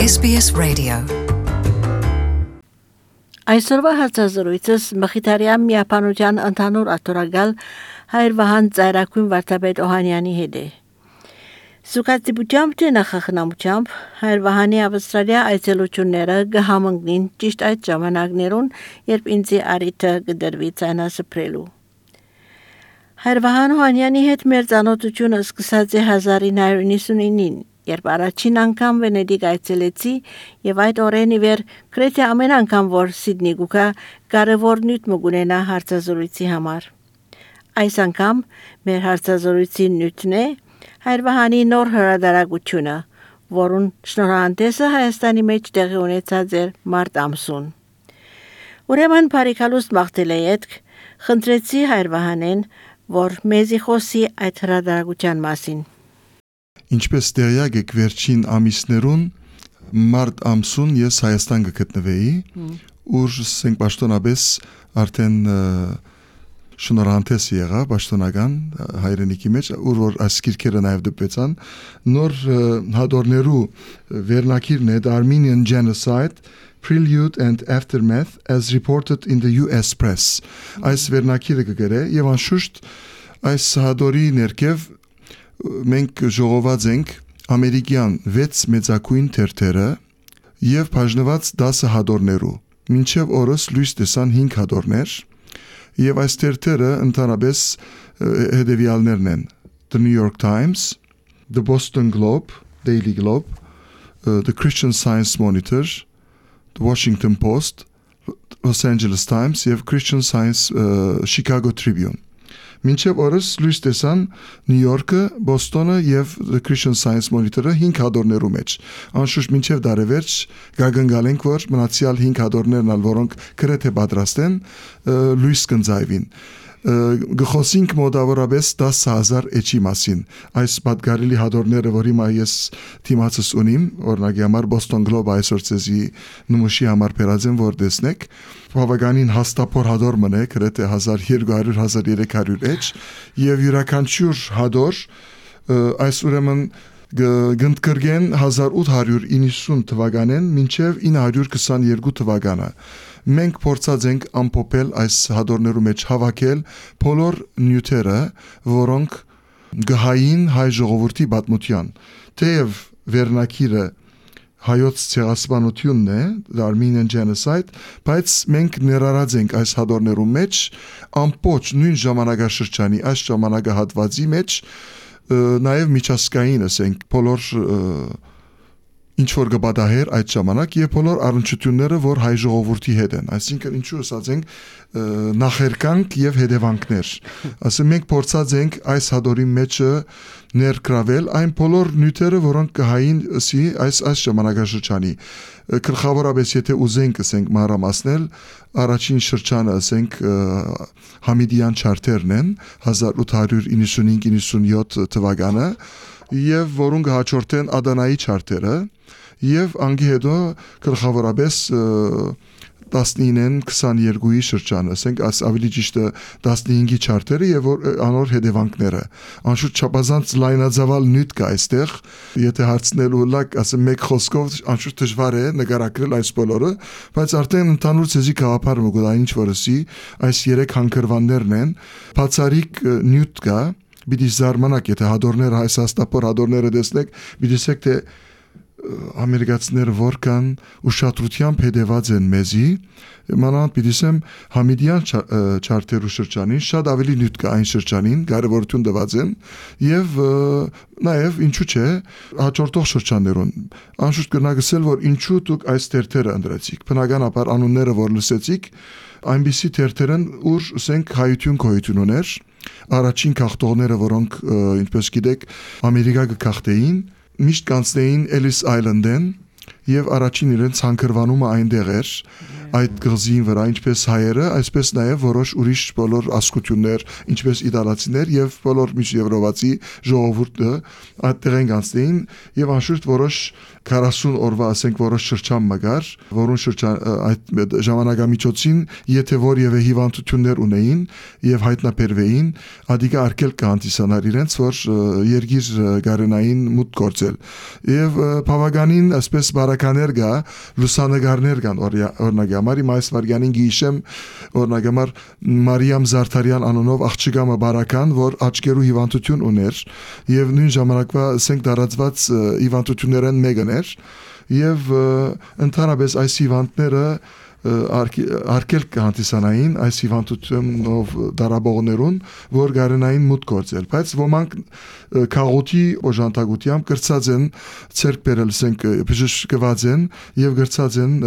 SBS Radio. Այսօրվա հարցազրույցս Մխիթարյան միապանության ընդհանուր աթորագալ Հայր Վահան Ծայրակուն վարդապետ Օհանյանի հետ է։ Սուկացիբությամբ թե նախախնամությամբ Հայր Վահանի Ավստրալիա այցելությունները կհամընկնին ճիշտ այդ ժամանակներուն, երբ ինձի արիթը կդրվի ցանասպրելու։ Հայր Վահան Օհանյանի հետ մեր ծանոթությունը սկսած է 1999-ին, երբ առաջին անգամ Վենետիկ այցելեցի եւ այդ օրեն ի վեր գրեթե ամեն անգամ որ Սիդնի գուկա կարևոր նյութ մգունենա հարցազրույցի համար։ Այս անգամ մեր հարցազրույցի նյութն է Հայր Վահանի նոր հրատարակությունը, որուն շնորհանդեսը Հայաստանի մեջ տեղի ունեցած էր մարտ ամսուն։ Ուրեմն բարիկալուստ մաղթել եք, խնդրեցի Հայր Վահանեն, որ մեզի խոսի այդ հրատարակության մասին։ Ինչպես տեղյակ եք վերջին ամիսներուն մարտ ամսուն ես Հայաստան կգտնվեի, ուր սենք պաշտոնապես արդեն շնորհանդես եղա պաշտոնական հայրենիքի մեջ, ուր որ այս գիրքերը նաև դպեցան, նոր հադորներու վերնակիրն է The Armenian Genocide, Prelude and Aftermath as reported in the US press։ Այս վերնակիրը կգրե եւ անշուշտ այս հադորի ներքև մենք ժողոված ենք ամերիկյան 6 մեծակույն թերթերը եւ բաժնված 10 հադորներու։ Մինչեւ օրս լույս տեսան 5 հադորներ եւ այս թերթերը ընդհանրապես հետեւյալներն են. The New York Times, The Boston Globe, Daily Globe, The Christian Science Monitor, The Washington Post, Los Angeles Times եւ Christian Science Chicago Tribune։ Մինչև օրս լույս տեսան Նյու Յորքը, Բոստոնը եւ The Christian Science Monitor-ը 5 հադորներու մեջ։ Անշուշտ մինչև դարևերջ գագնգալենք, որ մնացյալ 5 հադորներն ալ որոնք գրեթե պատրաստ են լույս կընծայվին։ Գխոսինք մոտավորապես 10,000 էջի մասին։ Այս պատգարելի հադորները, որ հիմա ես թիմացս ունիմ, օրինակի համար Boston Globe այսօր ցեզի նմուշի համար բերածեմ, որ տեսնեք, բավականին հաստափոր հադոր մնե, գրեթե 1200-1300 էջ, եւ յուրաքանչյուր հադոր այս ուրեմն գնդկրգեն 1890 թվականեն մինչև 922 թվականը։ Մենք փորձած ենք ամփոփել այս հադորներու մեջ հավաքել բոլոր նյութերը, որոնք գահային հայ ժողովրդի պատմության։ Թեև վերնակիրը հայոց ցեղասպանությունն է, The Armenian Genocide, բայց մենք ներառած ենք այս հադորներու մեջ ամբողջ նույն ժամանակաշրջանի այս ժամանակահատվածի մեջ նաև միջազգային ասենք բոլոր ինչ որ գբադահեր այդ ժամանակ եւ բոլոր առնչությունները, որ հայ ժողովրդի հետ են, այսինքն ինչու ասած ենք նախերկանք եւ հետևանքներ։ Ասենք մենք փորձած ենք այս հադորի մեջը ներգրավել այն բոլոր նյութերը, որոնք կհային ասի այս ժամանակաշրջանի։ Գլխավորապես եթե ուզենք ասենք մանրամասնել, առաջին շրջանը ասենք Համիդյան չարտերն են 1895-97 թվականը եւ որոնք հաջորդեն Ադանայի չարտերը եւ անգի հետո գլխավորապես 19-ին 22-ի շրջանը, ասենք ավելի ճիշտ 15-ի չարտերը եւ անոր հետևանքները։ Անշուշտ չափազանց լայնածավալ նյութ կա այստեղ, եթե հարցնելու լակ, ասեմ մեկ խոսքով անշուշտ դժվար է նկարագրել այս բոլորը, բայց արդեն ընդհանուր ցեզի գաղափարը մգուտա ինչ որսի այս 3 հանգրվաններն են, բացարիք նյութ կա, բիդի զարմանակ, եթե հադորները այս հաստափոր հադորները տեսնեք, բիդիսեք թե ամերիկացիները որքան ուշադրությամբ հետևած են մեզի, մանավանդ պիտիսեմ Համիդյան չարտերու շրջանին շատ ավելի նյութ կա այն շրջանին, կարևորություն տված են եւ նաեւ ինչու՞ չէ հաջորդող շրջաններուն։ Անշուշտ կնագսել, որ ինչու դուք այս թերթերը ընտրեցիք։ Բնականաբար անունները որ լսեցիք, այնպիսի թերթերն ուր ասենք հայություն գոյություն ուներ, առաջին քաղաքները, որոնք ինչպես գիտեք, Ամերիկա կգաղթեին, միշտ կանցնեին Ellis Island-ին եւ առաջին իրենց հանգրվանումը այնտեղ էր այդ գազին վրա, ինչպես հայերը, այսպես նաեւ որոշ ուրիշ բոլոր ազգություններ, ինչպես իտալացիներ եւ բոլոր միջեվրոպացի ժողովուրդը այդտեղ են կանցնեին եւ անշուշտ որոշ 40 օրվա ասենք որոշ շրջան մգար, որոնց այդ ժամանակամիջոցին եթե որևէ հիվանդություններ ունեին եւ հայտնաբերվեին, ադիգա արկել կանտիսանար իրենց, որ երգիր գարենային մուտ գործել։ Եվ բավականին ասպես բարականեր գա, լուսանգարներ կան օրինակ համար, իմ այս վարյանին գիշեմ օրինակ համար Մարիամ Զարթարյան անունով աղջիկամը բարական, որ աչքերու հիվանդություն ուներ եւ նույն ժամանակվա ասենք դարածված հիվանդություններն մեկն էր եւ ընդհանրապես այս հիվանդները արկել կանտիսանային այս հիվանդությունով դարաբողներուն, որ գարենային մուտ գործել, բայց ոմանք քաղուտի օժանդակությամբ գրծած են ցերկ բերել ասենք բժշկված են եւ գրծած են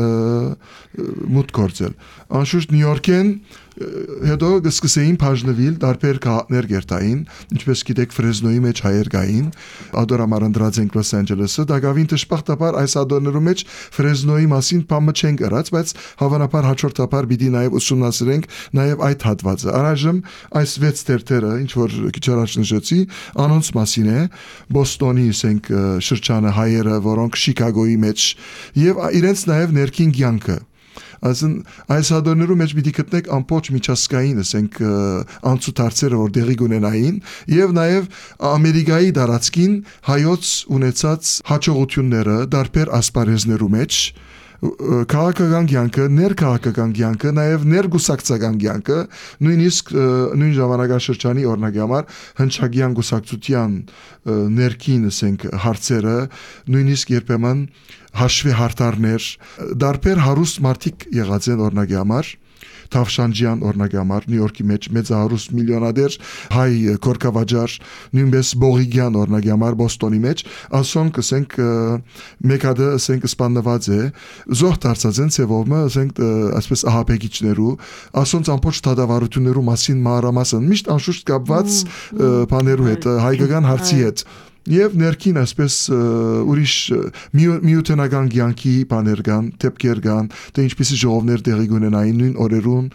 մուտ գործել։ Անշուշտ Նյու Յորքեն հետո սկսեին բաժնվել տարբեր քաղաքներ գերտային, ինչպես գիտեք Ֆրեզնոյի մեջ հայեր կային, ադորամար ընդրած են Լոս Անջելեսը, դակավին դժբախտաբար այս ադորներու մեջ Ֆրեզնոյի մասին բամը չեն գրած, բայց հավանաբար հաջորդաբար պիտի նաև ուսումնասիրենք նաև այդ հատվածը։ Առայժմ այս 6 տերտերը, ինչ որ քիչ առաջ նշեցի, անոնց մասին է, Բոստոնի ասենք շրջանը հայերը, որոնք Շիկագոյի մեջ եւ իրենց նաև ներքին կյանքը այս հադորներու մեջ պիտի գտնեք ամբողջ միջազգային, ասենք անցուդարձերը, որ դեղի կունենային եւ նաեւ Ամերիկայի դարածքին հայոց ունեցած հաջողությունները դարբեր ասպարեզներու մեջ քաղաքական կյանքը, ներքաղաքական կյանքը, նաև ներգուսակցական կյանքը, նույնիսկ նույն ժամանակաշրջանի օրինակ համար հնչագյան գուսակցության ներքին ասենք հարցերը, նույնիսկ երբեմն հաշվի հարթարներ, դարբեր հարուստ մարդիկ եղած են օրինակ համար Թավշանջյան օրինակ համար Նյու Յորքի մեջ մեծահարուստ միլիոնադեր հայ կորկավաճառ նույնպես Բողիգյան օրինակ համար Բոստոնի մեջ ասոնք ասենք մեկ հատ ասենք սպանված է զոհ դարձած են ծևոմը ասենք ասպես ահապեկիչներու ասոնց ամբողջ դատավարություններու մասին մանրամասն միշտ անշուշտ կապված բաներու հետ հայկական հարցի հետ Եվ ներքին այսպես ուրիշ միութենական կյանքի բաներ կան, դեպքեր կան, թե ինչպիսի ժողովներ տեղի կունենային նույն օրերուն,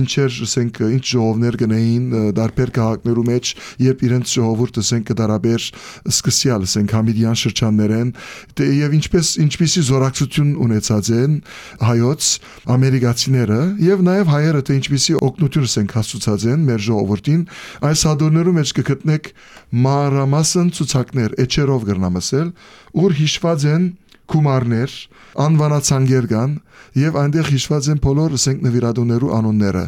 ինչեր ասենք ինչ ժողովներ կնեին դարբեր քաղաքներու մեջ, երբ իրենց ժողովուրդը ասենք կդարաբեր սկսյալ ասենք համիդյան շրջաններեն, եւ ինչպիսի զորակցություն ունեցած են հայոց ամերիկացիները եւ նաեւ հայերը թե ինչպիսի օգնություն ասենք հասցուցած են մեր ժողովրդին, այս հադորներու մեջ կգտնեք մանրամասն ցուցակներ էջերով գրնամասել, ուր հիշված են գումարներ, անվանացանգեր կան եւ այնտեղ հիշված են բոլոր ասենք նվիրատուներու անունները։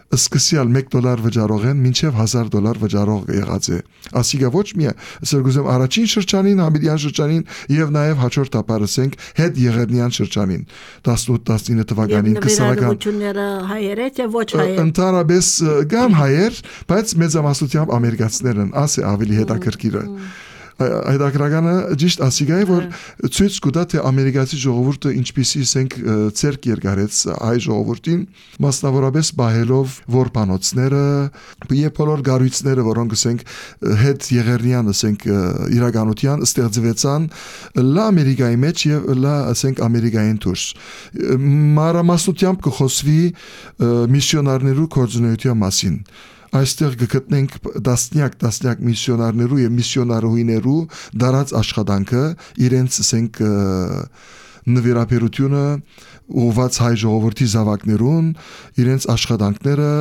Սկսյալ $1 վճարող են, մինչև $1000 վճարող եղած է։ Ասիկա ոչ մի սրգուզեմ առաջին շրջանին, համիդյան շրջանին եւ նաեւ հաջորդաբար ասենք հետ եղերնյան շրջանին 18-19 թվականին 20-ական հայեր է ոչ հայեր։ Ընդհանրապես կան հայեր, բայց մեծամասնությամբ ամերիկացիներ են, ասե ավելի հետաքրքիրը։ Այդակրականը ճիշտ ասիկա է, որ ցույց կտա թե ամերիկացի ժողովուրդը ինչպիսի ասենք ցերկ երկարեց հայ ժողովրդին, մասնավորապես բահելով որբանոցները, եւ բոլոր գառույցները, որոնք ասենք հետ եղերնյան ասենք իրականության ստեղծվեցան լա Ամերիկայի մեջ եւ լա ասենք Ամերիկային դուրս։ Մանրամասնությամբ կխոսվի միսիոնարներու կորձունեության մասին։ Այստեղ կգտնենք դասնյակ միսիոնարներու եւ միսիոնարուհիներու դարած աշխատանքը, իրենց ասենք նվիրաբերությունը ուղված հայ ժողովրդի զավակներուն, իրենց աշխատանքները,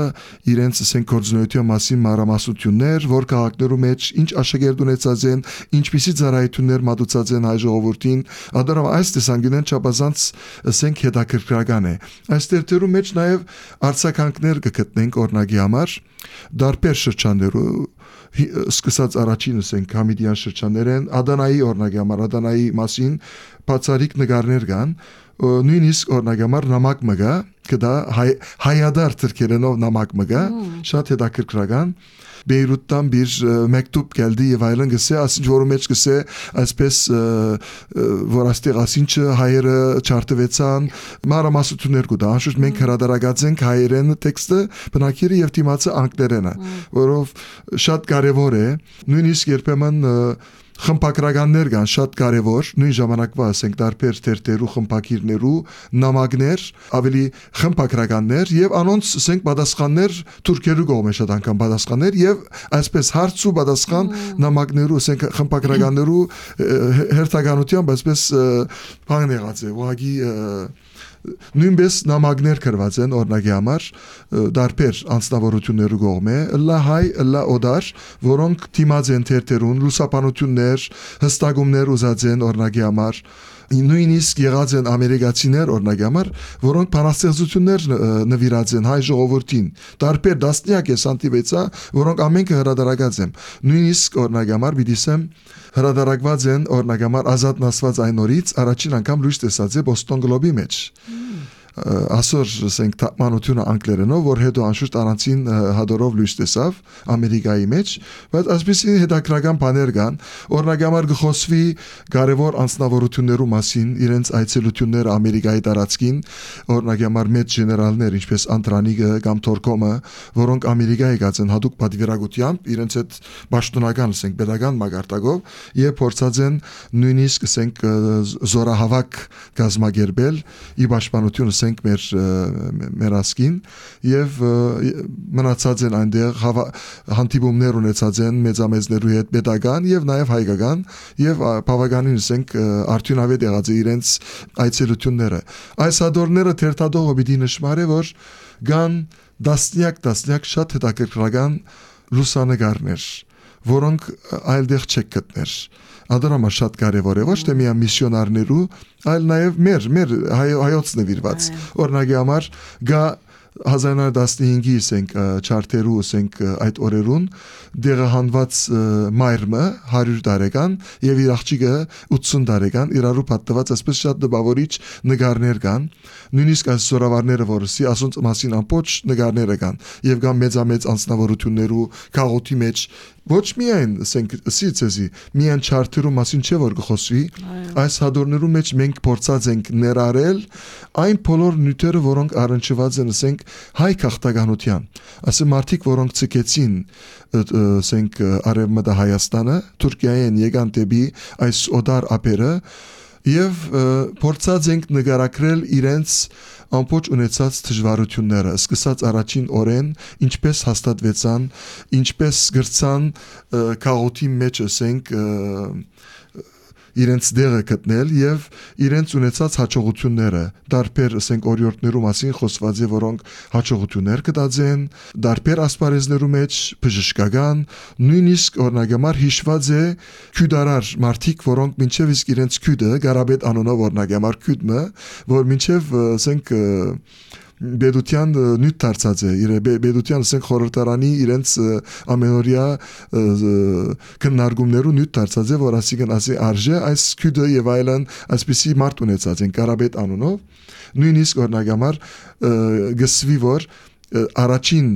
իրենց ասենք կորձունեության մասին մանրամասնություններ, որ քաղաքներու մեջ ինչ աշակերտ ունեցած են, ինչպիսի ծառայություններ մատուցած են հայ ժողովրդին, ադարամ այս տեսանկյունեն չափազանց ասենք հետաքրքրական է։ Այս տերտերու մեջ նաև արձագանքներ կգտնենք օրինակի համար, դարբեր շրջաններու սկսած առաջին ասենք համիդյան շրջաններեն Ադանայի օրինակի համար Ադանայի մասին բացառիկ նկարներ կան նույնիսկ օրինակ համար նամակ մգա կդա հայադար թրքերենով նամակ մգա շատ հետաքրքրական Բեյրութտան bir mektup geldi եւ այլն գսե ասինչ որը մեջ գսե այսպես որ աստեղ ասինչը հայերը չարտվեցան մանրամասնություններ կուտա անշուշտ մենք հրադարագած ենք հայերեն տեքստը բնակիրը եւ դիմացը անգլերենը որով շատ կարեւոր է նույնիսկ երբեմն խմբակրականներ կան շատ կարևոր, նույն ժամանակվա ասենք դարբեր թերթերու խմբակիրներու նամակներ, ավելի խմբակրականներ եւ անոնց ասենք պատասխաններ թուրքերու կողմէ շատ անգամ պատասխաններ եւ այսպես հարց ու պատասխան նամակներու ասենք խմբակրականներու հերթականությամբ այսպես բան եղած է, ուղղակի նույնպես նամակներ գրված են օրինակի համար դարբեր անձնավորություններու կողմէ լա հայ լա օդար որոնք դիմաց են թերթերուն լուսաբանություններ հստակումներ ուզած են օրինակի համար նույնիսկ եղած են ամերիկացիներ օրինակի համար որոնք բանաստեղծություններ նվիրած են հայ ժողովրդին դարբեր դասնյակ է սանտիվեցա որոնք ամենքը հրադարակած են նույնիսկ օրինակի համար բիդիսեմ հրադարակված են օրինակի համար ազատ նասված այն օրից առաջին անգամ լույս տեսած է Boston Globe-ի մեջ ասոր ասենք թափմանությունը անգլերենով որ հետո անշուշտ առանցին հադորով լույս տեսավ ամերիկայի մեջ բայց այսպեսի հետաքրական բաներ կան օրինակի համար գխոսվի կարևոր անձնավորություններու մասին իրենց այցելությունները ամերիկայի տարածքին օրինակի համար մեծ գեներալներ ինչպես Անտրանիկը կամ Թորկոմը որոնք ամերիկայի եկած են հadoop պատվիրակությամբ իրենց այդ պաշտոնական ասենք pedagogan մագարտակով եւ փորձած են նույնիսկ ասենք զորահավաք գազմագերբել ի պաշտպանություն մեր ասկին եւ մնացած են այնտեղ հանդիպումներ ունեցած են մեծամեծներու հետ pedagogan եւ նաեւ հայկական եւ բավականին ասենք արդյունավետ եղած է իրենց այցելությունները այս հադորները թերթադողը պիտի նշмаրե որ կան դասնյակ շատ հետաքրքրական լուսանկարներ որոնք այլտեղ չեք գտներ Ադրամա շատ կարևոր է ոչ թե միայն միսիոնարներու, այլ նաև մեր հայոց նվիրված։ Օրինակի համար գա 1915-ի ասենք չարտերու ասենք այդ օրերուն դեղահանված մայրը 100 տարեկան եւ իր աղջիկը 80 տարեկան իրարու պատտված այսպես շատ դպավորիչ նկարներ կան նույնիսկ այս զորավարները որսի ասոնց մասին ամբողջ նկարները կան եւ կան մեծամեծ անձնավորություններու քաղաքի մեջ ոչ միայն ասենք սիցեզի միայն չարտերու մասին չէ որ գխոսվի այս հադորներու մեջ մենք փորձած ենք ներառել այն բոլոր նյութերը որոնք առնչված են ասենք հայ քաղաքականության ասեմ մարդիկ որոնք ցկեցին ասենք արևմտա Հայաստանը Թուրքիայեն եկան դեպի այս օդար ափերը եւ փորձած ենք նկարագրել իրենց ամբողջ ունեցած դժվարությունները սկսած առաջին օրեն ինչպես հաստատվեցան ինչպես գրցան քաղաքի մեջ ասենք իրենց դերը գտնել եւ իրենց ունեցած հաջողությունները դարբեր ասենք օրիորդներու մասին խոսված է որոնք հաջողություններ կտածեն դարբեր ասպարեզներու մեջ բժշկական նույնիսկ օրնագամար հիշված է քյուդարար մարդիկ որոնք մինչեւ իսկ իրենց քյուդը Գարաբետ անոնով օրնագամար քյուդը որ մինչեւ ասենք Բեդուտյան նյութ դարձած է իր Բեդուտյան ասենք խորհրդարանի իրենց ամենօրյա քննարկումներու նյութ դարձած է որ ասիկն ասի արժե այս քյուդը եւ այլն այսպիսի մարդ ունեցած են Կարաբետ անունով նույնիսկ օրնագամար գսվի որ առաջին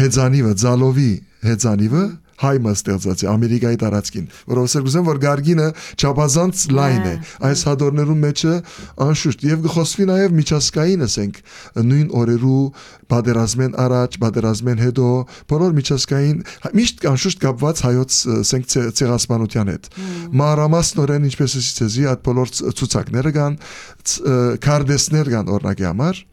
հեծանիվը Ձալովի հեծանիվը հայ մստեղծած է Ամերիկայի տարածքին որովհետեւ գուզեմ որ գարգինը չափազանց լայն է այս հադորներու մեջը անշուշտ եւ գխոսվի նաեւ միջազգային ասենք նույն օրերու պատերազմեն առաջ պատերազմեն հետո բոլոր միջազգային միշտ անշուշտ կապված հայոց ասենք ցեղասպանության հետ մանրամասնորեն ինչպես ասեցի այդ բոլոր ցուցակները կան քարտեզներ կան օրինակի համար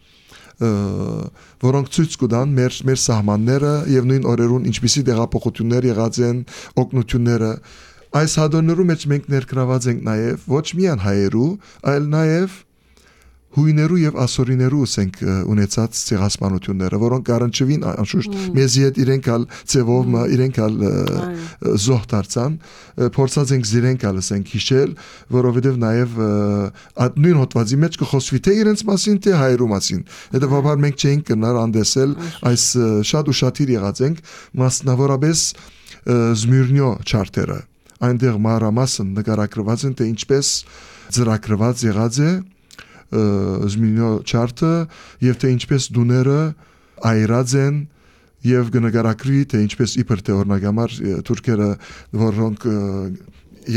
որոնք ցույց կտան մեր սահմանները եւ նույն օրերուն ինչպիսի դեղափոխություններ եղած են օգնությունները այս հադորներու մեջ մենք ներգրաված ենք նաեւ ոչ միայն հայերու այլ նաեւ հույներու եւ ասորիներու ասենք ունեցած ցեղասպանությունները որոնք առնչվին անշուշտ մեզի հետ իրենք ալ ծևով իրենք ալ զոհ դարձան փորձած ենք զիրենք ալ ասենք հիշել որովհետեւ նաեւ այդ նույն հոդվածի մեջ կխոսվի թե իրենց մասին թե հայերու մասին հետեւաբար մենք չենք կնար անդեսել այս շատ ու շատ եղած ենք մասնավորապես Զմիրնյո չարտերը այնտեղ մանրամասն նկարագրված են թե ինչպես ծրագրված եղած է Զմիրնյո չարտը եւ թե ինչպես դուները այրած են եւ գնահագրի թե ինչպես իբր թե օրնագամար թուրքերը որոնք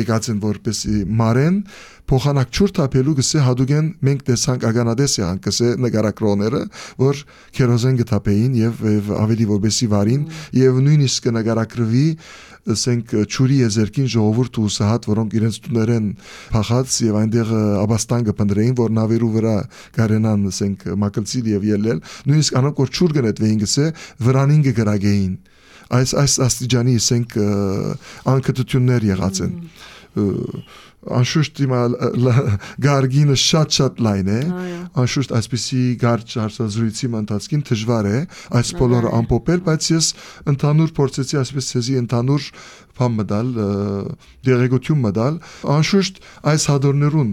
եկած են որպեսի մարեն փոխանակ ճուր թափելու գսե հադուգեն մենք տեսանք ագանադես եղան գսե նկարակրողները որ քերոզեն գտապեին եւ ավելի որպեսի վարին եւ նույնիսկ նկարակրվի ասենք ճուրի եզերքին ժողովուրդ ու սահատ որոնք իրենց տուներեն փախած եւ այնտեղ աբաստան կփնդրեին որ նավերու վրա գարենան ասենք մակլցիլ եւ ելել նույնիսկ անոնք որ ճուր գնետվեին գսե վրանին կգրագեին այս աստիճանի ասենք անկտություններ եղած են անշուշտ հիմա գարգինը շատ լայն է անշուշտ այսպեսի գարջ հարցազրույցի ընթացքին դժվար է այս բոլորը ամփոփել բայց ես ընդհանուր փորձեցի այսպես ցեզի ընդհանուր բան մտալ դերեկություն մտալ անշուշտ այս հադորներուն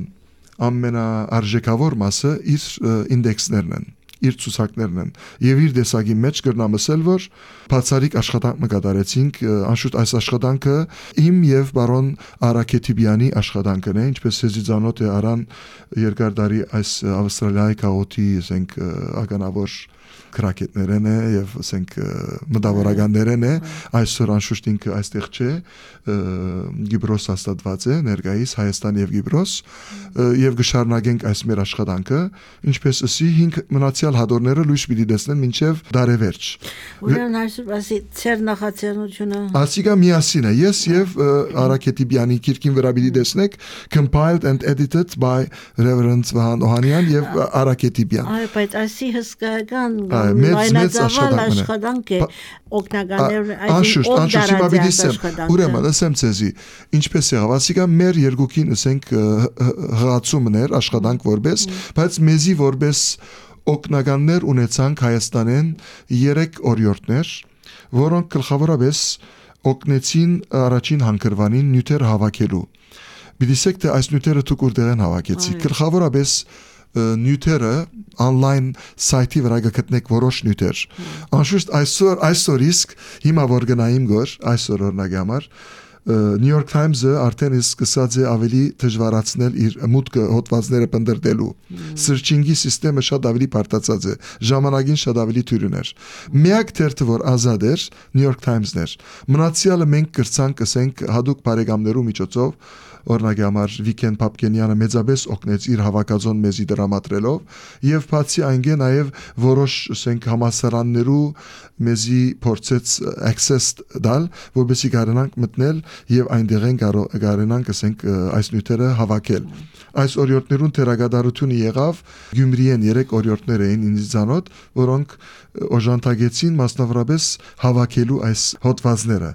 ամենաարժեքավոր մասը իր ինդեքսներն են իր ցուցակներն են եւ իր դեսագի մեջ կրնամսել որ բացարիք աշխատանք մկատարեցինք անշուշտ այս աշխատանքը իմ եւ բարոն Արաքետիբյանի աշխատանքն է ինչպես սեզիզանոտ է արան երկար տարի այս Ավստրալիայի քաղաքի ասենք ականավոր քրակետներն է եւ ասենք մտավորականներն է այսօր անշուշտ ինքը այստեղ չէ Գիբրոս հաստատված է ներկայիս Հայաստան եւ Գիբրոս եւ գշարունակենք այս մեր աշխատանքը ինչպես ասի 5 մնացյալ հադորները լույս պիտի տեսնեն մինչեւ դարեվերջ ուրեմն այսօր ասի ծեր նախաձեռնությունը ասիկա միասին է ես եւ Արաքետիբյանի քիրքին վրա պիտի տեսնեք compiled and edited by Reverend Վահան Օհանյան եւ Արաքետիբյան այ բայց ասի հսկայական մեծ աշխատանք է օգնականներ անշուշտ հիմա պիտի ասեմ ուրեմն ասեմ ցեզի ինչպես եղավ ասիկա մեր երկուքին ասենք հղացումներ աշխատանք որպես բայց մեզի որպես օգնականներ ունեցանք Հայաստանեն 3 օրիորդներ որոնք գլխավորապես օգնեցին առաջին հանգրվանին նյութեր հավաքելու բիդիսեք թե այս նյութերը թուկուրդեղեն հավաքեցի գլխավորապես նյութերը online սայթի վրա գտնեք որոշ նյութեր անշուշտ այսօր իսկ հիմա որ գնայիմ գոր այսօր օրինակ համար New York Times-ը արդեն սկսած է ավելի դժվարացնել իր մուտքը հոդվածները պնդրտելու searching-ի համակարգը շատ ավելի բարդացած է ժամանակին շատ ավելի թյուրներ միակ թերթը որ ազատ էր New York Times-ն էր մնացյալը մենք կրցանք ասենք հadoop բարեկամներու միջոցով օրինակ համար Վիկեն Պապկենյանը մեծապես օգնեց իր հավաքածոն մեզի դրամատրելով եւ բացի այնգե նաեւ որոշ ասենք համասարաններու մեզի փորձեց access դալ որովհետեւ կարողանանք մտնել եւ այնտեղեն կարողանանք ասենք այս նյութերը հավաքել այս օրիորդներուն թերագադարությունը եղավ Գյումրիեն 3 օրիորդներ էին ինձանոտ որոնք օժանդակեցին մասնավորապես հավաքելու այս հոդվածները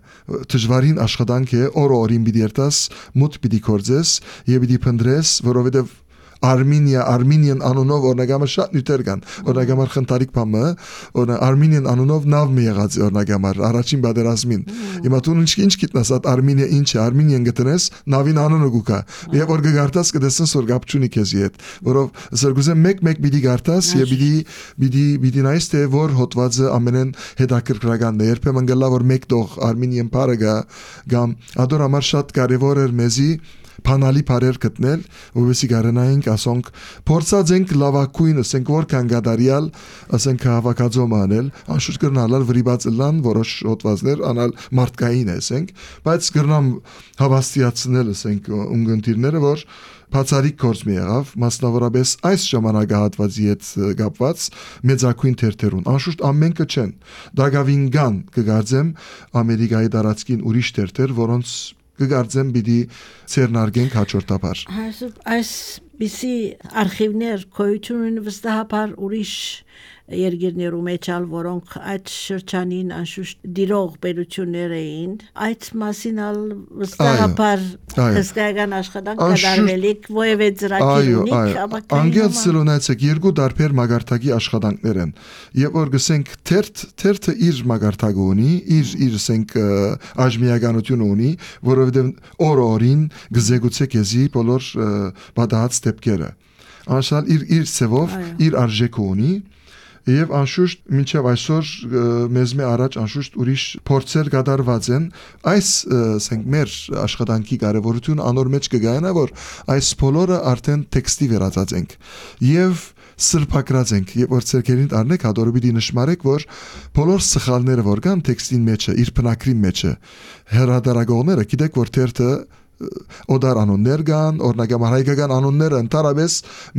դժվարին աշխատանք է օրին պիտի երտաս մուտ պիտի կորձես եւ պիտի փնդրես որովհետեւ Armenian անունով օրնագամը շատ նյութեր կան օրնագամար խնդարիկ բամը Armenian անունով նավ մի եղած օրնագամար առաջին բادرազմին հիմա դու ինչ գիտնաս այդ Armenia ինչ է Armenian գտնես նավին անունը գուկա եւ որ գարտաս կդեսնս որ գապչունի քեզի հետ որով զրգուզը մեկ պիտի գարտաս եւ պիտի նայես թե որ հոդվածը ամենեն հետաքրքրականն է երբեմն գլա որ մեկ տող Armenian parը գամ ադոր համար շատ կարեւոր էր մեզի Փանալի բարեր գտնել, որովհետեւ կարենայինք ասոնք փորձած ենք լավակույն ասենք որքան գադարիալ ասենք հավաքածոմ անել, անշուշտ կրնալալ վրիբած լան որոշ հոդվածներ անալ մարդկային ասենք, բայց կրնամ հավաստիացնել ասենք ունգընտիրները որ բացարիք կորձ մի եղավ, մասնավորապես այս ժամանակահատվածի հետ կապված մեծակույն թերթերուն անշուշտ ամենքը չեն, դագավին կան կգարձեմ Ամերիկայի տարածքին ուրիշ թերթեր, որոնց կգարձեմ պիտի ցերնարգենք հաջորդաբար այս բիսի արխիվներ գոյություն ունեն վստահաբար ուրիշ երկիրներում էջալ որոնք այդ շրջանին անշուշտ դիրող պետություններ էին այդ մասին ալ վստահաբար հսկայական աշխատանք կատարվելիք ովևէ ծրագիր ունի անգետ սլոնացեք երկու տարբեր մագարտակի աշխատանքներ են եւ որ գսենք թերթը իր մագարտակը ունի իր ասենք աժմիականություն ունի որովհետեւ օրին գզեգուցե քեզի բոլոր բադահած դեպքերը անշալ իր ծևով իր արժեքը ունի Եվ անշուշտ մինչև այսօր մեզ մե առաջ անշուշտ ուրիշ փորձեր կատարված են այս ասենք մեր աշխատանքի կարևորությունը անոր մեջ կգայանա որ այս բոլորը արդեն տեքստի վերածած ենք եւ սրբակրած ենք եւ որ ցերկերին առնեք հադորը պիտի նշмарեք որ բոլոր սխալները որ կան տեքստին մեջը իր բնակրին մեջը հերադարագողները գիտեք որ թերթը օդար անուններ կան, օրինակ հայկական անունները ընդհանրապես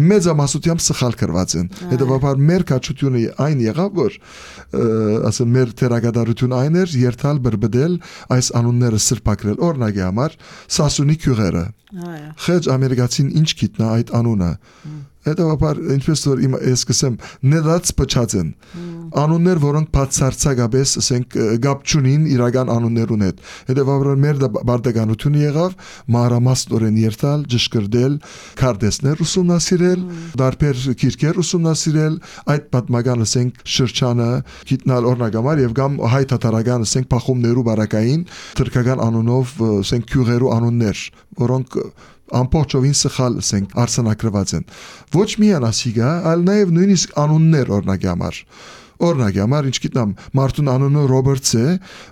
մեծամասնությամբ սխալ գրված են։ Հետևաբար մեր քաջությունը այն եղավ, որ ասեն մեր թերագադարությունը այն էր երթալ բրբդել այս անունները սրբակրել։ Օրինակի համար Սասունի քյուղերը։ Խեջ ամերիկացին ինչ գիտնա այդ անունը։ Հետևաբար ինչպես որ ես կսեմ ներած փչած են անուններ, որոնք բացարձակապես ասենք գապ չունին իրական անուններուն հետ։ Հետևաբար մեր բարդականությունը եղավ մանրամասնորեն երթալ, ճշգրտել, քարտեզներ ուսումնասիրել, դարբեր գիրքեր ուսումնասիրել, այդ պատմական ասենք շրջանը գիտնալ օրնագամար եւ կամ հայ թաթարական ասենք փախումներու բարակային թրքական անունով ասենք քյուղերու անուններ, որոնք ամբողջովին սխալ ասենք արսանակրված են։ Ոչ միայն ասիգա, այլ նաև նույնիսկ անուններ օրինակի համար։ Օրինակի համար ինչ գիտնամ մարդուն անունը Ռոբերտս է,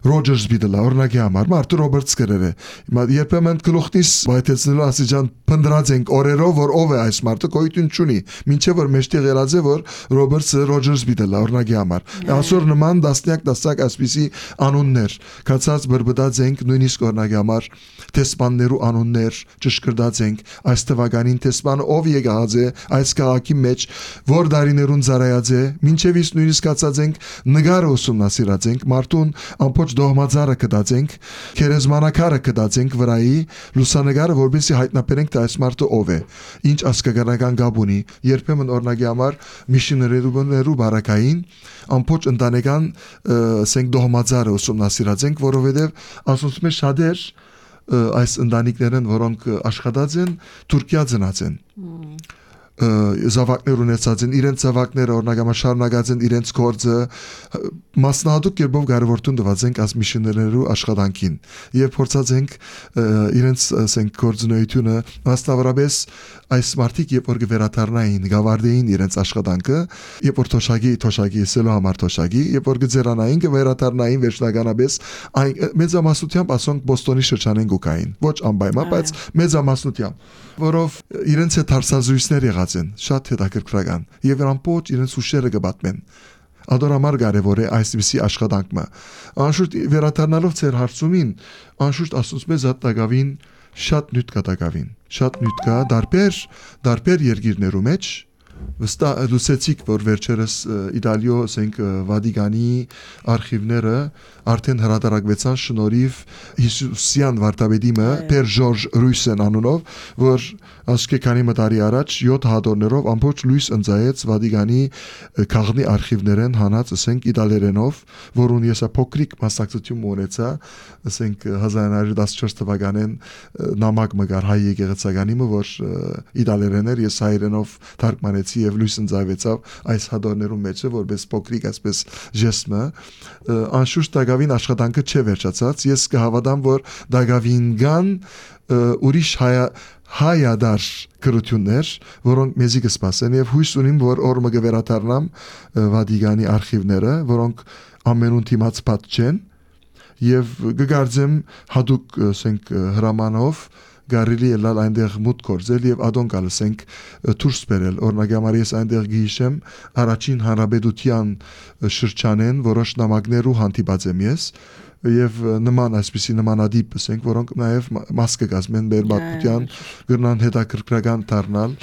Ռոջերս բիդլա օրինակի համար մարդը Ռոբերտս գրեր է։ Հիմա երբեմն գլուխնից բայթեցնելու ասիջան փնդրած ենք օրերով որ ով է այս մարդը գոյություն չունի, մինչև որ մեջտեղ ելած է որ Ռոբերտսը Ռոջերս բիդլա օրինակի համար։ Այսօր նման դասնյակ այսպիսի անուններ, կացած բրբդած ենք նույնիսկ օրինակի համար տեսփաններու անուններ ճշգրտած ենք այս թվականին տեսփանը ով եկած է այս քաղաքի մեջ որ դարիներուն ծառայած է մինչև իսկ նույնիսկ կացած ենք նգարը ուսումնասիրած ենք մարդուն ամբողջ դողմաձարը կդած ենք քերեզմանակարը կդած ենք վրայի լուսանգարը որպեսզի հայտնաբերենք թե այս մարդը ով է ինչ ասկագանական գաբ ունի երբեմն օրինակի համար միշիներերու բարակային ամբողջ ընտանեկան ասենք դողմաձարը ուսումնասիրած ենք որովհետև ասոնց մեջ շատեր այս ընտանիքներն որոնք աշխատած են Թուրքիա ծնած են զավակներ ունեցած են իրենց զավակները օրինակ շարունակած են իրենց գործը մասնահատուկ կերպով կարևորություն տված ենք այս միշիներերու աշխատանքին եւ փորձած ենք իրենց ասենք գործունեությունը մասնավորապես այս մարտիկ երբ որ վերադառնային գավարդեին իրենց աշխատանքը երբ որ թոշակի սելո համար թոշակի երբ որ գծերանային վերադառնային վերջնականապես մեծամասնությամբ ասոնք Բոստոնի շրջանեն գուկային ոչ անպայման բայց մեծամասնությամբ որով իրենց հետ հարցազրույցներ եղած են շատ հետաքրքրական եւ ամբողջ իրենց ուշերը կբատմեն ադորամար կարևոր է այսպիսի աշխատանքը անշուշտ վերադառնալով ծեր հարցումին անշուշտ ասած մեզ հատակավին շատ նյութ կտակավին շատ նյութ կա դարբեր երկիրներու մեջ վստահ լուսեցիք որ վերջերս Իտալիո ասենք Վատիկանի արխիվները արդեն հրատարակվեցան շնորհիվ Հիսուսյան վարդապետիմը Պեր Ժորժ Ռույսեն անունով որ ասկեկանի մտարի առաջ 7 հատորներով ամբողջ լույս ընծայեց Վատիկանի քաղաքնի արխիվներեն հանած ասենք իտալերենով որուն եսա փոքրիկ մասնակցություն ունեցա ասենք 1914 թվականին նամակ մգար հայ եկեղեցականիմը որ իտալերեներ ես հայերենով թարգմանեցի եւ լույս ընծայվեցավ այս հատորներում մեջը որպես փոքրիկ այսպես ժեստը անշուշտ դագավին աշխատանքը չէ վերջացած ես կհավատամ որ դագավին կան ուրիշ հայադար գրություններ, որոնք մեզի կսպասեն եւ հույս ունիմ, որ օրը կվերադառնամ Վատիկանի արխիվները, որոնք ամենուն դիմաց պատ չեն եւ կգարձեմ հadoop ասենք հրամանով գարելի է լալ այնտեղ մուտ կորձել եւ ադոն կալսենք դուրս բերել օրինակ համար ես այնտեղ գիշեմ առաջին հանրապետության շրջանեն որոշ նամակներու հանդիպած եմ ես եւ նման այսպիսի նմանադիպ ասենք որոնք նաեւ մաս կգազմեն բերբատության գրնան հետաքրքրական դառնալ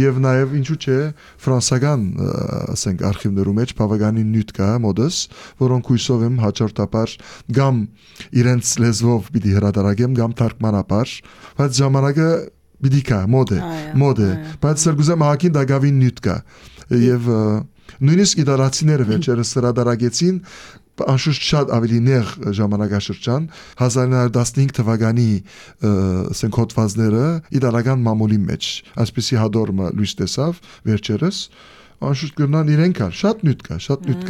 եւ նաեւ ինչու՞ չէ ֆրանսական ասենք արխիվներու մեջ բավականին նյութ կա մոդս որոնք հույսով եմ հաջորդաբար գամ իրենց լեզվով պիտի հրատարակեմ գամ թարգմանաբար բայց ժամանակը պիտի կա մոդ է բայց սրգուզեմ հակին դագավին նյութ կա եւ նույնիսկ իտալացիները վերջերս հրատարակեցին անշուշտ շատ ավելի նեղ ժամանակաշրջան 1915 թվականի ասենք հոդվածները իտալական մամուլի մեջ այսպեսի հադորմը լույս տեսավ վերջերս անշուշտ կրնան իրեն կար շատ նյութ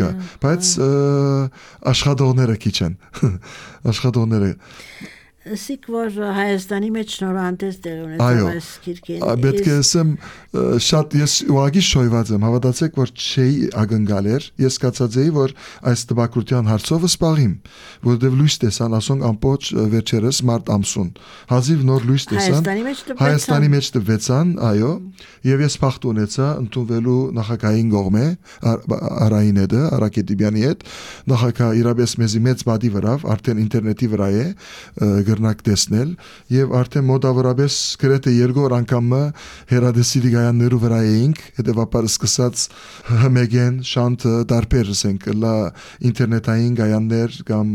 կա բայց աշխատողները քիչ են աշխատողները Սիկ որ Հայաստանի մեջ նորանտես դեր ունեցավ այս գիրքին պետք է ասեմ շատ ես ուղղակի շոյված եմ հավատացեք որ չէի ակնկալ էր ես կացածեի որ այս տպագրության հարցով սպաղիմ որովհետև լույս տեսան ասոնք ամբողջ վերջերս մարտ ամսուն հազիվ նոր լույս տեսան Հայաստանի մեջ տվեցան այո եւ ես փախտ ունեցա ընդունվելու նախագահային կողմէ Արայինը Արաքետիբյանի հետ նախագահ իրապես մեզի մեծ բադի վրա արդեն ինտերնետի վրա է գրնակ տեսնել եւ արդեն մոտավորապես գրեթե 2 օր անգամ հերադեսիլի գայաններու վրա էինք, հետեւաբար սկսած հմեգեն շանթը դարբեր ասենք լա ինտերնետային գայաններ կամ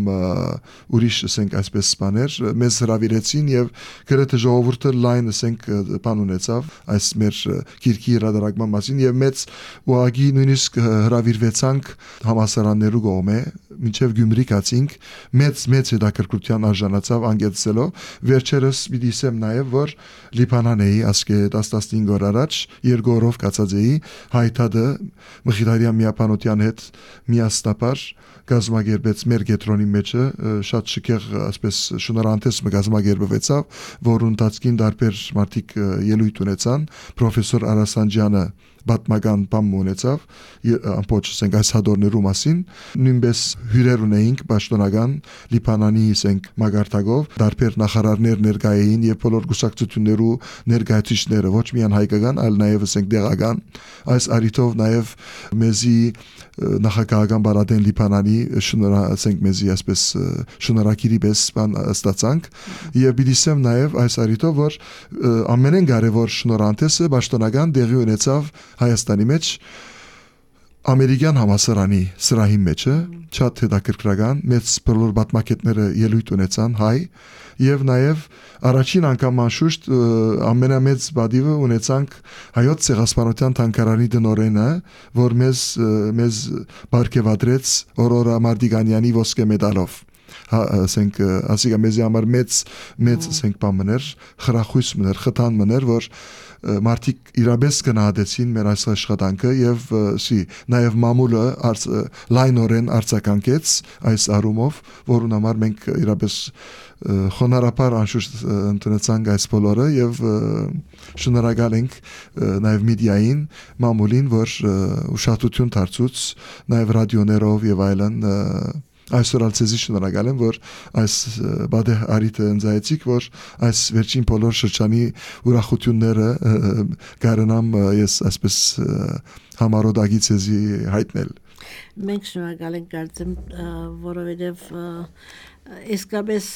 ուրիշ ասենք այսպես բաներ մեզ հրավիրեցին եւ գրեթե ժողովուրդը լայն ասենք բան ունեցավ այս մեր գիրքի հրատարակման մասին եւ մեծ ուղղակի նույնիսկ հրավիրվեցանք համասարաններու կողմէ մինչև Գյումրի կացինք մեծ հետաքրքրության արժանացավ անգեցելով վերջերս պիտի ասեմ նաև որ Լիբանանեի ասկե 10-15 օր առաջ 2 օրով կացած էի հայտադը Մխիթարյան միապանության հետ միասնապար գազམ་ագերբեց մեր գետրոնի մեջը շատ շքեղ ասպես շնորհանդես գազམ་ագերբվեցավ որ ընթացքին դարբեր մարդիկ ելույթ ունեցան պրոֆեսոր Արասանջյանը բատմական բան ունեցավ ամբողջ ասենք այս հադորներու մասին նույնպես հյուրեր ունեինք պաշտոնական Լիբանանի ասենք մագարտակով դարբեր նախարարներ ներկայ էին եւ բոլոր գուսակցություններու ներկայացիչները ոչ միայն հայկական այլ նաեւ ասենք դեղական այս արիտով նաեւ մեզի նախագահական բարադեն Լիբանանի ասենք մեզի այսպես շնորհակիրի պես բան ստացանք եւ բիդիսեմ նաեւ այս արիտով որ ամենեն կարեւոր շնորհանդեսը պաշտոնական դեղի ունեցավ Հայաստանի մեջ ամերիկյան համասարանի սրահի մեջը շատ հետաքրքրական մեծ բոլոր բատմակետները ելույթ ունեցան հայ եւ նաեւ առաջին անգամ անշուշտ ամենամեծ բադիվը ունեցանք հայոց ցեղասպանության թանգարանի դնորենը որ մեզ բարգեւադրեց Օրորա Մարդիկանյանի ոսկե մեդալով ասենք ասիկա մեզի համար մեծ ասենք բամներ խրախույս մներ խթան մներ որ մարդիկ իրապես գնահատեցին մեր այս աշխատանքը եւ նաեւ մամուլը լայնորեն արձագանքեց այս առումով որուն համար մենք իրապես խոնարհապար անշուշտ ընդունեցանք այս բոլորը եւ շնորհակալ ենք նաեւ մեդիային մամուլին որ ուշադրություն դարձուց նաեւ ռադիոներով եւ այլն այսօր ալցեզի շնորհակալ եմ որ այս բադե արիտը ընձայեցիք որ այս վերջին բոլոր շրջանի ուրախությունները կարենամ ես այսպես համարոդագից էզի հայտնել մենք շնորհակալ ենք կարծեմ որովհետև իսկապես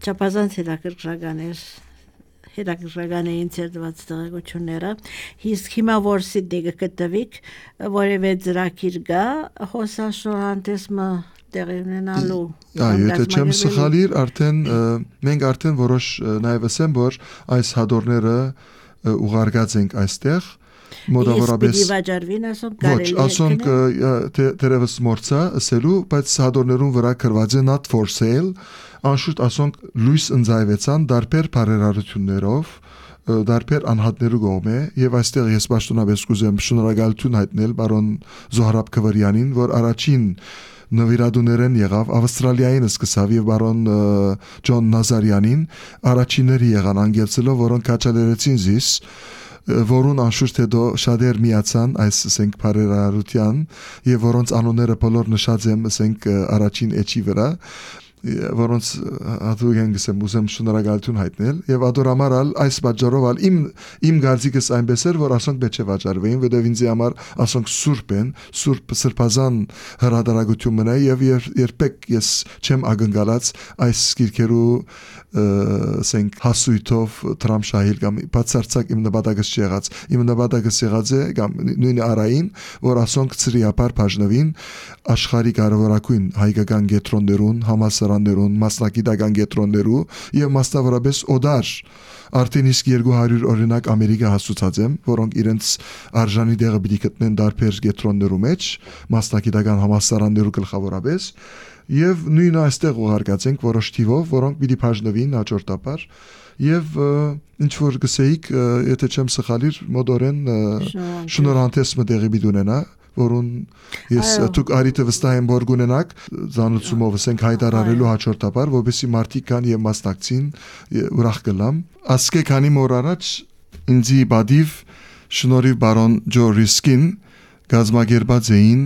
չափազանց հետաքրքրական էր հետաքրքրական էին ցերդված տեղեկությունները իսկ հիմա որ Սիդնեյը գտնվիք որևէ ծրագիր կա հոսաշնորհանդեսը տեղի ունենալու եթե չեմ սխալիր արդեն մենք արդեն որոշ նաև ասեմ որ այս հադորները ուղարկած ենք այստեղ մոտավորապես ոչ ասոնք դերևս մորցա ասելու բայց հադորներուն վրա գրված է not for sale անշուշտ ասոնք լույս ընձայվեցան դարբեր բարերարություններով դարբեր անհատներու կողմէ եւ այստեղ ես պաշտոնապես կուզեմ շնորհակալություն հայտնել բարոն Զոհրաբ Քվարյանին որ առաջին նվիրատուներեն եղավ Ավստրալիային սկսավ եւ բարոն Ջոն Նազարյանին առաջինները եղան անգելցելով որոնք կաչալերեցին զիս որուն անշուշտ հետո շատեր միացան այս ասենք բարերարության եւ որոնց անունները բոլոր նշած եմ ասենք առաջին էջի վրա որոնց հատուկ եմ ուզում շնորհակալություն հայտնել եւ ադորամարալ այս բաժարով իմ գարձիկս այնպես էր որ ասոնք պետք է վաճառվեին որովհետեւ ինձ համար ասոնք սուրբ են սրբազան հրադարագություն մնա եւ երբեք ես չեմ ակնկալած այս գիրքերու ասենք հասույթով տրամշահիլ կամ բացարձակ իմ նպատակս չեղած իմ նպատակս եղած է կամ նույն արային որ ասոնք ծրիապար բաժնվին աշխարհի կարևորագույն հայկական գետրոններուն համասարաններուն մասնակիտական գետրոններու եւ մասնավորապես օդար արդեն իսկ 200 օրինակ Ամերիկա հասուցած եմ որոնք իրենց արժանի դեղը պիտի գտնեն դարբեր գետրոններու մեջ մասնակիտական համասարաններու գլխավորապես եւ նույնը այստեղ ուղարկած ենք որոշ թիվով որոնք պիտի բաժնվին հաջորդաբար եւ ինչ որ գսեիք եթե չեմ սխալիր մոդորեն շնորհանդես մտեղի պիտի ունենա որուն ես դուք արիտը վստահ եմ որ գունենակ զանուցումով ասենք հայտարարելու հաջորդաբար որովհետեւ մարդիկ կան եւ մասնակցին ուրախ կլամ ասկե քանի մոր առաջ ինձի բադիվ շնորհիվ բարոն Ջո Ռիսկին գազམ་ագերբած էին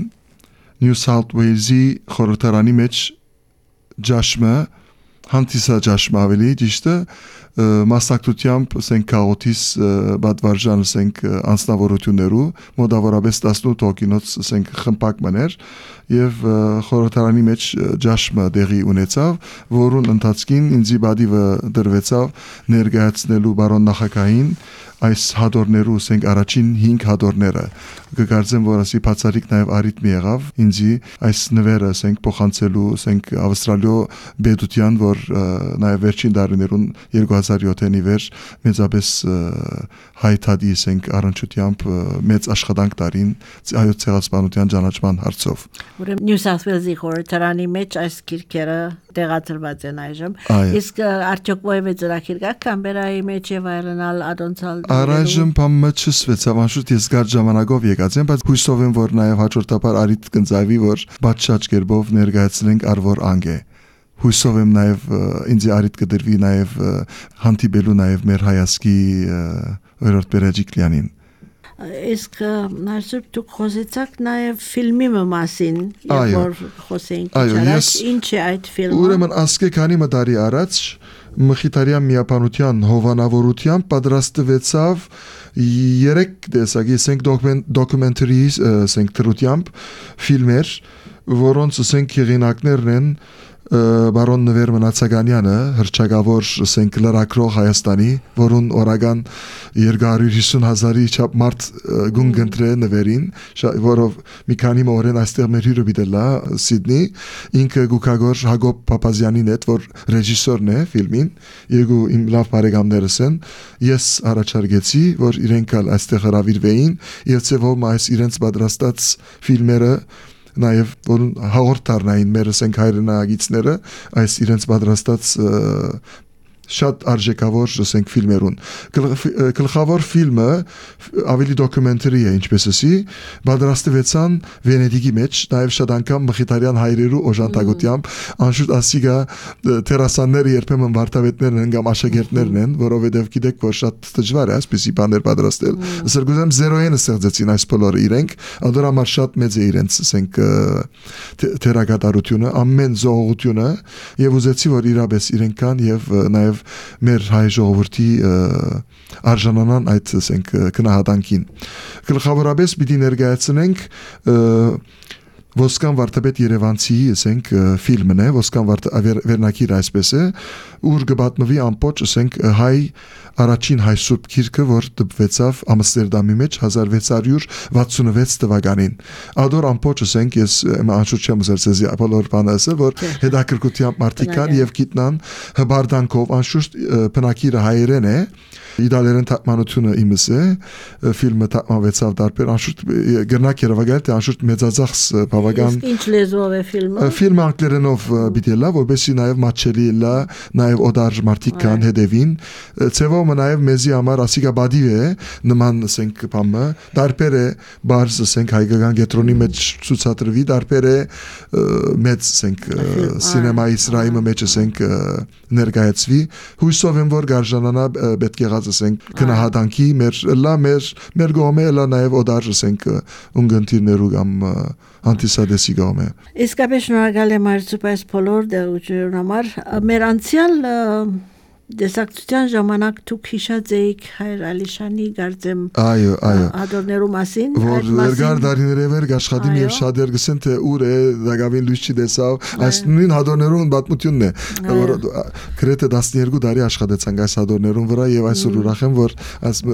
New South Wales-ի խորհրդարանի մեջ ջաշմը հանդիսա ջաշմը ավելի ճիշտը մասնակցությամբ ասենք քաղաքից բադվարժան ասենք անձնավորություններու մոտավորապես 18 հոգինոց ասենք խմբակ մներ եւ խորհրդարանի մեջ ջաշմը դեղի ունեցավ, որուն ընթացքին ինձի բադիվը դրվեցավ ներկայացնելու բարոն նախագահին այս հադորներու ասենք առաջին 5 հադորները կգարձեմ որ ասի բացարիք նաև արիթմի եղավ ինձի այս նվերը ասենք փոխանցելու ասենք ավստրալիո բեդության որ նաև վերջին դարիներուն 2007-ի վեր մեծապես հայտարարի ասենք առնչությամբ մեծ աշխատանք տարին այո ցեղասպանության ճանաչման հարցով Ուրեմն Նյու Սաութ Ուելսի խորհրդարանի մեջ այս քիրքերը տեղադրված են այժմ իսկ արդյոք ովևէ ծրագիր կա Կամբերայի մեջ եւ այլնալ ադոնցալ Առայժմ բամը չսվեցավ անշուշտ ես գար ժամանակով եկած եմ բայց հույսով եմ որ նաև հաջորդաբար արիտ կնձավի որ բաճ կերպով ներկայացնենք արվոր անգե հույսով եմ նաև ինձ արիտ կդրվի նաև հանդիպելու նաև մեր հայասկի օրորդ բերաջիկլյանին Իսկ այսօր դուք խոսեցաք նաև ֆիլմի մասին, որ խոսեինք առաջ, ինչ է այդ ֆիլմը։ Ուրեմն ասկե քանի մտարի առաջ Մխիթարյան միապանության հովանավորությամբ պատրաստվեցավ 3 տեսակի ասենք դոկումենտարի ասենք դրությամբ ֆիլմեր, որոնց ասենք հեղինակներն են Բարոն Նվեր Մնացականյանը հրճագավոր ասենք լրագրող Հայաստանի որուն օրական 250,000-ի չափ մարդ գունգընտրե նվերին որով մի քանի օրեն այստեղ մեր հյուրը բիդելա Սիդնի ինքը գուկագոր Հակոբ Փափազյանին հետ որ ռեժիսորն է ֆիլմին երկու իմ լավ բարեկամներս են ես առաջարկեցի որ իրենք այստեղ հրավիրվեին եւ ծեվում այս իրենց պատրաստած ֆիլմերը նաև որ հաղորդարնային մեր ասենք հայրենագիցները այս իրենց պատրաստած շատ արժեքավոր ասենք ֆիլմերուն գլխավոր ֆիլմը ավելի դոկումենտարի է ինչպես ասի պատրաստվեցան Վենետիկի մեջ նաև շատ անգամ Մխիթարյան հայրերու օժանդակությամբ անշուշտ ասիգա տերասանները երբեմն վարտավետներն են կամ աշակերտներն են որովհետև գիտեք որ շատ դժվար է այսպեսի բաներ պատրաստել սրգուզեմ 0-ը ստեղծեցին այս բոլորը իրենք ադոր համար շատ մեծ է իրենց ասենք թերագատարությունը ամեն զողությունը եւ ուզեցի որ իրապես իրենք կան եւ նաև մեր հայ ժողովրդի արժանանան այդ ասենք քնահատանքին գլխավորապես պիտի ներկայացնենք Ոսկան վարդապետ Երևանցի ասենք ֆիլմն է Ոսկան վերնակիր այսպես է ուր գբատնվի ամբողջ ասենք հայ առաջին հայ սուրբ գիրքը որ դպվեցավ Ամստերդամի մեջ 1666 թվականին ադոր ամբողջ ասենք ես անշուշտ չեմ զերծեզի բոլոր բանը ասել որ հետաքրքրությամբ մարտիկան եւ գիտնան հբարդանքով անշուշտ բնակիրը հայերեն է Իդալերեն թարգմանությունը իմս է ֆիլմը թարգմանվեցավ դարբեր անշուշտ գրնակ երևակայել թե անշուշտ մեծածախս բավական Ինչ լեզվով է ֆիլմը ֆիլմը անգլերենով բիդելա որովհետեւ նաև մաչելի լա նաև օդար մարտիկան հետևին ծևոմը նաև մեզի համար ասիգա բադիվ է նման ասենք բամը դարբեր է բարձ ասենք հայկական գետրոնի մեջ ցուցադրվի դարբեր է մեծ ասենք սինեմայի սրայմը մեջ ասենք ներկայացվի հույսով եմ որ գարժանանա պետք է ասենք քնահատանքի մեր գոմե լա նաև օդար ասենք ունգընտիրներու կամ անտիսադեսի գոմե Իսկապես շնորհակալ եմ այս բոլոր դերություններուն համար մեր անցյալ Դեսակցության ժամանակ դուք հիշած էիք Հայր Ալիշանի գարձեմ հադորներու մասին որ վերգար դարիները վեր աշխատիմ եւ շատ երգսեն թե ուր է դակավին լույս չի դեսավ այս նույն հադորներուն պատմությունն է որ գրեթե 12 տարի աշխատեցանք այս հադորներուն վրա եւ այսօր ուրախ եմ որ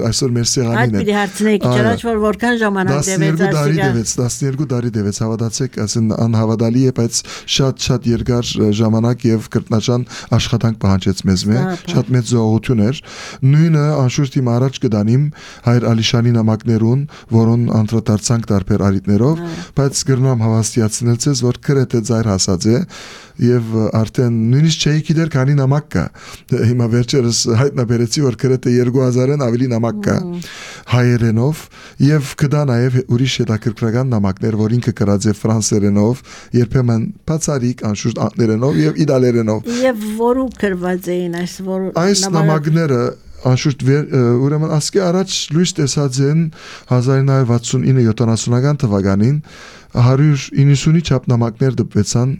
այսօր մեր սեղանին է Այդ պիտի հարցնեիք ճանաչ որ որքան ժամանակ դեվեց 12 տարի դեվեց հավատացեք ասեն անհավատալի է բայց շատ երկար ժամանակ եւ կրտնաճան աշխատանք պահանջեց մեզ շատ մեծ զողություն էր նույնը անշուշտ իմ առաջ կդանիմ Հայր Ալիշանի նամակներուն որոն անդրադարձանք տարբեր արիտներով բայց գրնամ հավաստիացնել ցեզ որ գրեթե ծայր հասած է եւ արդեն նույնիսկ չէի գիտեր քանի նամակ կա հիմա վերջերս հայտնաբերեցի որ գրեթե 2000-ն ավելի նամակ կա հայերենով եւ կդա նաեւ ուրիշ հետաքրքրական նամակներ որ ինքը գրած է ֆրանսերենով երբեմն բացարիք անշուշտ անգլերենով եւ իդալերենով եւ որու գրված էին այս նամակները անշուշտ ուրեմն ասկե առաջ լույս տեսած են 1969-70-ական թվականին 190-ի չափ նամակներ դպվեցան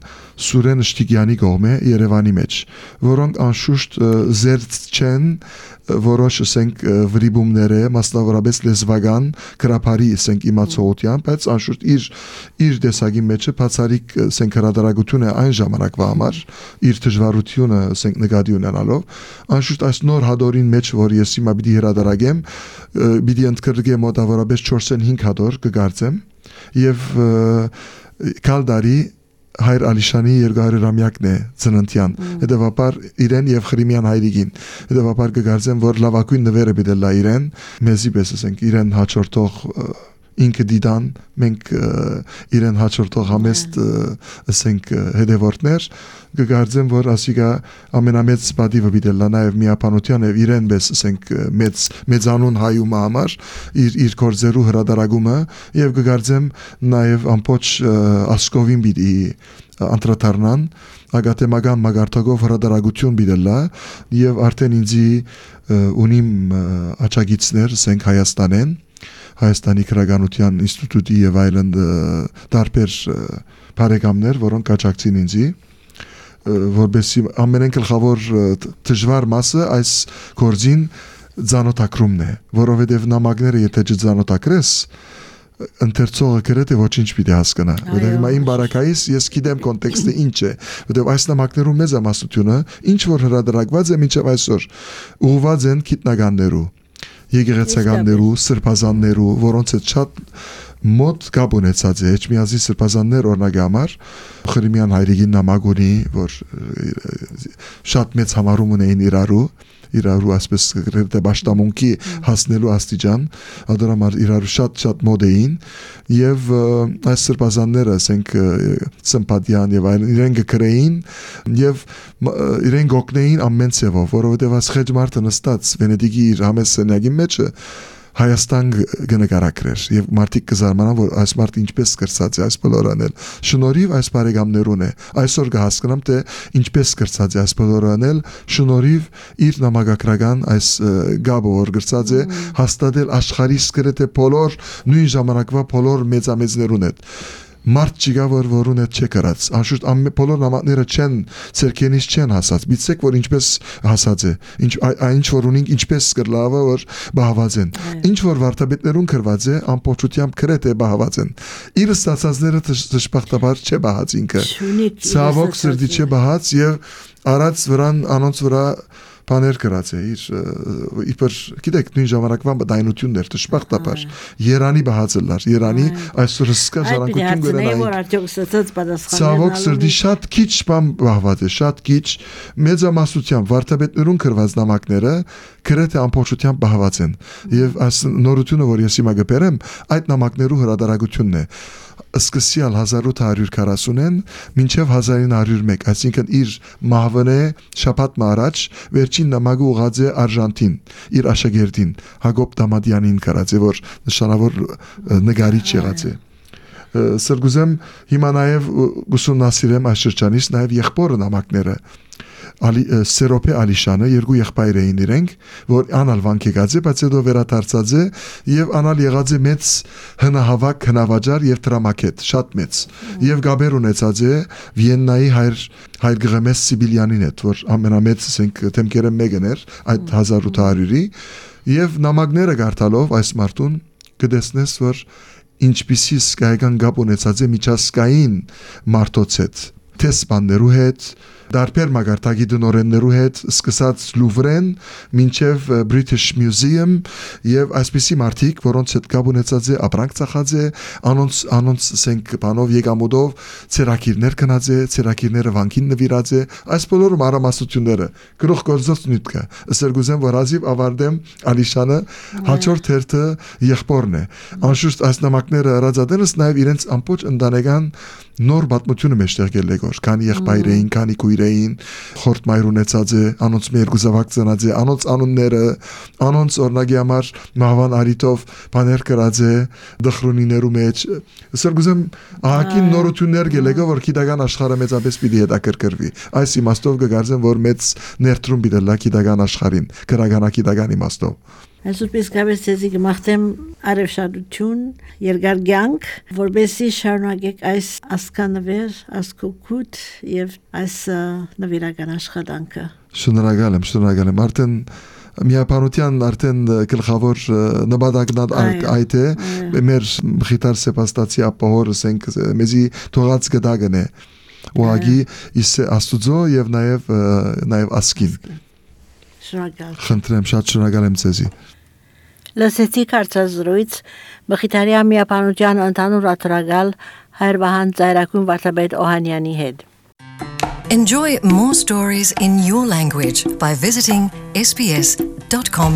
Սուրեն Շտիգյանի կողմէ Երևանի մեջ, որոնք անշուշտ զերծ չեն որոշ ասենք վրիբումները, մասնավորապես լեզվական գրաբարի ասենք իմացողությամբ, բայց անշուշտ իր տեսակի մեջը բացառիկ ասենք հրադարագություն է այն ժամանակվա համար, իր դժվարությունը ասենք նկատի ունենալով, անշուշտ այս նոր հադորին մեջ, որ ես հիմա պիտի հրադարագեմ, պիտի ընդգրկեմ մոտավորապես 4-5 հադոր կգործեմ եւ կալդարի Հայր Ալիշանի 200-ամյակն է ծննդյան, հետևաբար իրեն եւ Խրիմյան հայրիկին, հետևաբար կգործեմ, որ լավագույն նվերը պիտի լա իրեն, մեզի պես ասենք իրեն հաջորդող ինքը դիդան, մենք իրեն հաջորդող համեստ ասենք հետևորդներ կգործեմ, որ ասիկա ամենամեծ պատիվը պիտի լա նաեւ միապանության եւ իրեն պես ասենք մեծանուն հայումը համար իր կորձերու հրադարագումը եւ կգործեմ նաեւ ամբողջ ասկովին պիտի անդրադառնան ագատեմական մագարտակով հրադարագություն պիտի լա եւ արդեն ինձի ունիմ աչագիցներ ասենք Հայաստանեն Հայաստանի քրագանության ինստիտուտի եւ այլն տարբեր բարեկամներ, որոնք աջակցին ինձի, որբեսի ամենեն գլխավոր դժվար մասը այս գործին ցանոթակրումն է, որովհետեւ նամակները եթե չցանոթակրես ընթերցողը գրեթե ոչինչ պիտի հասկանա, որովհետեւ հիմա իմ բարակայից ես գիտեմ կոնտեքստը ինչ է, որովհետեւ այս նամակներում մեծամասնությունը ինչ որ հրադարակված է մինչև այսօր ուղղված են գիտնականներու եկեղեցականներու, սրբազաններու, որոնց հետ շատ մոտ կապ ունեցած է, Էջմիածի սրբազաններ օրինակի համար Խրիմյան հայրիկին նամակ ունի, որ շատ մեծ համարում ունեին իրարու ասպես գրեթե բաշտամունքի հասնելու աստիճան, ադրամար իրարու շատ մոտ էին եւ այս սրբազանները ասենք սիմպաթիան եւ այլն իրեն գրեին եւ իրեն գոկնեին ամեն ցևով, որովհետեւ այս խեջմարտը նստած Վենետիկի իր համեսենյակի մեջը Հայաստան գնկարակրեր եւ մարդիկ կզարմանան որ այս մարդ ինչպես կրծած է այս բոլորանել շնորհիվ այս բարեկամներուն է այսօր կհասկանամ թե ինչպես կրծած է այս բոլորանել շնորհիվ իր նամակագրական այս գաբը որ կրծած է հաստատել աշխարհի սկրեթե բոլոր նույն ժամանակվա բոլոր մեծամեծներուն հետ Մարդ չկա որ ունետ չէ կրած անշուշտ բոլոր նամակները չեն ցերկենից չեն հասած բիցեք որ ինչպես հասած է ինչ որ ունին ինչպես կրլավը որ բահված են ինչ որ վարդապետներուն կրված է ամբողջությամբ գրեթե բահված են իր ստացածները դժբախտաբար չէ բահած ինքը ցավոք սրտի չէ բահած եւ արած վրան անոնց վրա Բաներ գրած է իբր գիտեք նույն ժամանակվա դայնություններ դժբախտաբար Երանի բահածելար Երանի այսօր սկա ժառանգություն գնային Ցավոք սրտի շատ քիչ բան բահված է շատ քիչ մեծամասնությամբ վարդապետներուն գրված նամակները գրեթե ամբողջությամբ բահված են եւ այս նորությունը որ ես հիմա գբերեմ այդ նամակներու հրադարագությունն է սկսյալ 1840-ին մինչև 1901 այսինքն իր մահվնե շաբաթ մարաջ վերջին նամակը ուղղած է Արժանտին իր աշակերտին Հակոբ Դամադյանին կարած է որ նշանավոր նկարիչ եղած է Սրգուզեմ հիմա նաև ուսումնասիրեմ այս շրջանից նաև եղբորը նամակները Սերոպե Ալիշանը երկու եղբայր էին իրենք որ անալ վանք եկած է բայց հետո վերադարձած է եւ անալ եղած է մեծ հնահավաք հնավաճար եւ դրամակետ շատ մեծ եւ գաբեր ունեցած է Վիեննայի հայր Գրեմես Սիբիլյանին հետ որ ամենամեծ ասենք թեմքերը մեկն էր այդ 1800-ի եւ նամակները գարտալով այս մարդուն կդեսնես որ ինչպիսի սկայական գապ ունեցած է միջազգային մարդոց հետ տեսպաններու հետ Դարբեր մագարտագի դնորեններու հետ սկսած Լուվրեն մինչև British Museum եւ այսպիսի մարդիկ որոնց հետ կապ ունեցած է ապրանք ծախած է անոնց ասենք բանով եկամուտով ցերակիրներ կնած է ցերակիրները վանքին նվիրած է այս բոլորը մարամասությունները գրող գործոց նյութը սերգուզեմ որ ազիվ ավարտեմ Ալիշանը հաջորդ հերթը եղբորն է անշուշտ այս նամակները հրաձատելս նաեւ իրենց ամբողջ ընտանեկան նոր պատմությունը մեջտեղ գելեգոր քանի եղբայր էին քանի քույրեին խորտ մայր ունեցած է անոնց մի երկու զավակ ծնած է անոնց անունները անոնց օրնագի համար մահվան արիտով բաներ գրած է դխրունիներու մեջ սրգուզեմ ահագին նորություններ գելեգա որ գիտական աշխարհը մեծապես պիտի հետաքրքրվի այս իմաստով կգարձեմ որ մեծ ներդրում պիտի լա գիտական աշխարհին քրագանակիտական իմաստով Այսպես գավես ձեզի կմաղթեմ արևշադություն, երկար կյանք, որբեսի շարունակեք այս ասկանվեր, ասկոկուտ եւ այս նվիրական աշխատանքը։ Շնորհակալ եմ, արդեն միապանության արդեն գլխավոր նպատակն այդ է, մեր մխիթար սեպաստացի ապահորս ենք մեզի թողած գդագն է, ուղղակի աստուծո եւ նաեւ ասկին։ Շնորհակալ։ Խնդրեմ, շատ շնորհակալ եմ ձեզի։ Լսեցիք հարցազրույց Մխիթարյա միապանության ընդհանուր աթորագալ Հայր Վահան Ծայրակուն Վարդապետ Օհանյանի հետ։ Enjoy more stories in your language by visiting sbs.com.au.